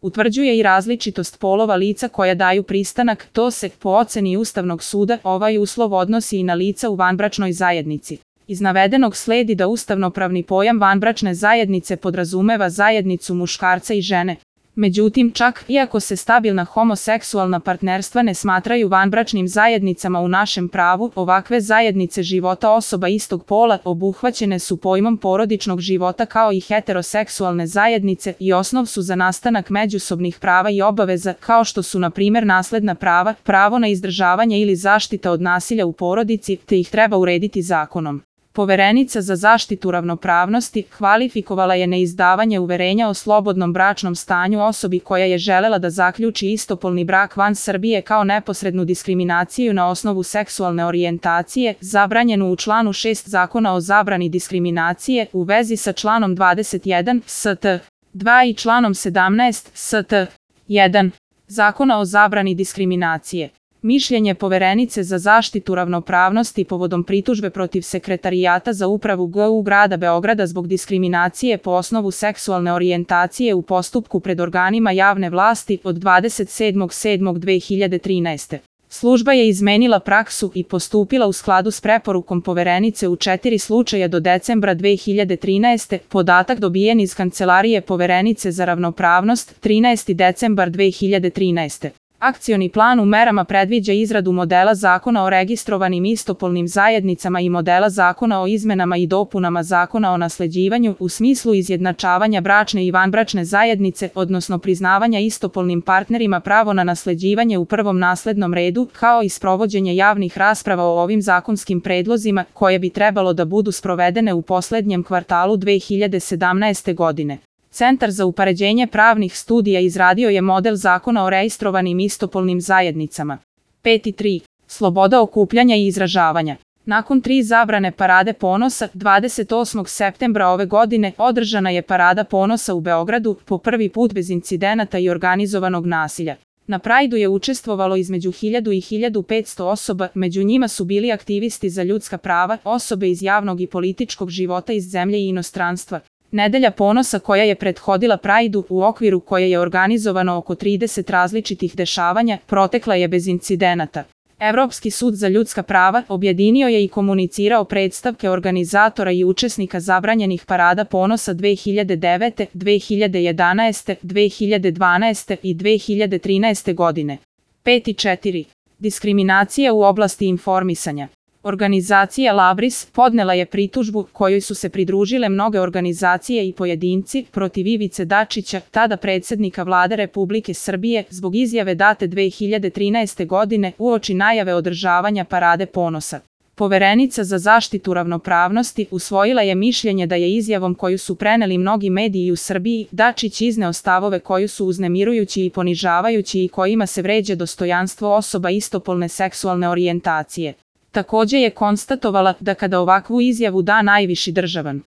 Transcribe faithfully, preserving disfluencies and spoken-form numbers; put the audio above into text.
Utvrđuje i različitost polova lica koja daju pristanak, to se, po oceni Ustavnog suda, ovaj uslov odnosi i na lica u vanbračnoj zajednici. Iz navedenog sledi da ustavnopravni pojam vanbračne zajednice podrazumeva zajednicu muškarca i žene. Međutim, čak iako se stabilna homoseksualna partnerstva ne smatraju vanbračnim zajednicama u našem pravu, ovakve zajednice života osoba istog pola obuhvaćene su pojmom porodičnog života kao i heteroseksualne zajednice i osnov su za nastanak međusobnih prava i obaveza, kao što su na primjer nasledna prava, pravo na izdržavanje ili zaštita od nasilja u porodici, te ih treba urediti zakonom. Poverenica za zaštitu ravnopravnosti kvalifikovala je neizdavanje uverenja o slobodnom bračnom stanju osobi koja je želela da zaključi istopolni brak van Srbije kao neposrednu diskriminaciju na osnovu seksualne orijentacije, zabranjenu u članu šest Zakona o zabrani diskriminacije u vezi sa članom dvadeset jedan st. dva i članom sedamnaest st. jedan Zakona o zabrani diskriminacije. Mišljenje Poverenice za zaštitu ravnopravnosti povodom pritužbe protiv Sekretarijata za upravu G U grada Beograda zbog diskriminacije po osnovu seksualne orijentacije u postupku pred organima javne vlasti od dvadeset sedmog sedmog dve hiljade trinaeste. Služba je izmenila praksu i postupila u skladu s preporukom Poverenice u četiri slučaja do decembra dve hiljade trinaeste. Podatak dobijen iz Kancelarije Poverenice za ravnopravnost trinaesti decembar dve hiljade trinaeste. Akcioni plan u merama predviđa izradu modela zakona o registrovanim istopolnim zajednicama i modela zakona o izmenama i dopunama zakona o nasleđivanju u smislu izjednačavanja bračne i vanbračne zajednice, odnosno priznavanja istopolnim partnerima pravo na nasleđivanje u prvom naslednom redu, kao i sprovođenje javnih rasprava o ovim zakonskim predlozima, koje bi trebalo da budu sprovedene u poslednjem kvartalu dve hiljade sedamnaeste. godine. Centar za upoređenje pravnih studija izradio je model zakona o registrovanim istopolnim zajednicama. pet tri. Sloboda okupljanja i izražavanja. Nakon tri zabrane Parade ponosa, dvadeset osmog septembra ove godine održana je Parada ponosa u Beogradu, po prvi put bez incidenata i organizovanog nasilja. Na Prajdu je učestvovalo između hiljadu i hiljadu petsto osoba, među njima su bili aktivisti za ljudska prava, osobe iz javnog i političkog života iz zemlje i inostranstva. Nedelja ponosa koja je prethodila Prajdu, u okviru koje je organizovano oko trideset različitih dešavanja, protekla je bez incidenata. Evropski sud za ljudska prava objedinio je i komunicirao predstavke organizatora i učesnika zabranjenih Parada ponosa dve hiljade devete, dve hiljade jedanaeste, dve hiljade dvanaeste i dve hiljade trinaeste. godine. pet četiri. Diskriminacija u oblasti informisanja. Organizacija Labris podnela je pritužbu kojoj su se pridružile mnoge organizacije i pojedinci protiv Ivice Dačića, tada predsjednika Vlade Republike Srbije, zbog izjave date dve hiljade trinaeste. godine uoči najave održavanja Parade ponosa. Poverenica za zaštitu ravnopravnosti usvojila je mišljenje da je izjavom koju su preneli mnogi mediji u Srbiji Dačić izneo stavove koji su uznemirujući i ponižavajući i kojima se vređa dostojanstvo osoba istopolne seksualne orijentacije. Takođe je konstatovala da kada ovakvu izjavu da najviši državan